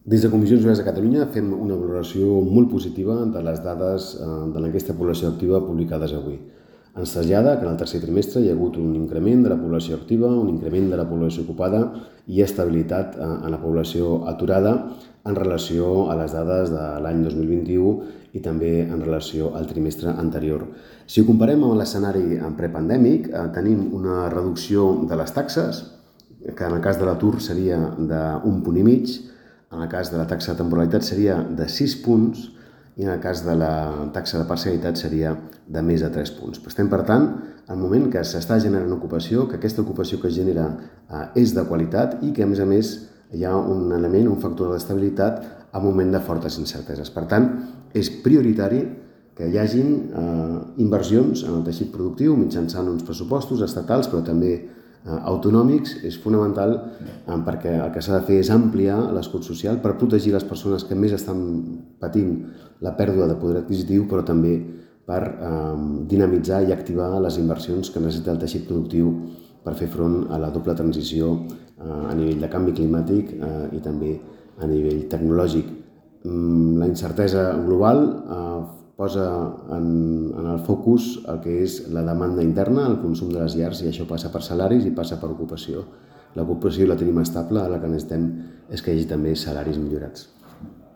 Des de Comissions Obreres de Catalunya fem una valoració molt positiva de les dades de l'enquesta de població activa publicades avui. Ens trasllada que en el tercer trimestre hi ha hagut un increment de la població activa, un increment de la població ocupada i estabilitat en la població aturada en relació a les dades de l'any 2021 i també en relació al trimestre anterior. Si ho comparem amb l'escenari prepandèmic, tenim una reducció de les taxes, que en el cas de l'atur seria d'un punt i mig, en el cas de la taxa de temporalitat seria de 6 punts i en el cas de la taxa de parcialitat seria de més de 3 punts. Estem, per tant, en el moment que s'està generant ocupació, que aquesta ocupació que es genera és de qualitat i que, a més, hi ha un element, un factor d'estabilitat en un moment de fortes incerteses. Per tant, és prioritari que hi hagin inversions en el teixit productiu mitjançant uns pressupostos estatals, però també autonòmics. És fonamental perquè el que s'ha de fer és ampliar l'escut social per protegir les persones que més estan patint la pèrdua de poder adquisitiu, però també per dinamitzar i activar les inversions que necessita el teixit productiu per fer front a la doble transició a nivell de canvi climàtic i també a nivell tecnològic. La incertesa global posa en el focus el que és la demanda interna, el consum de les llars, i això passa per salaris i passa per ocupació. L'ocupació la tenim estable, ara el que necessitem és que hi hagi també salaris millorats.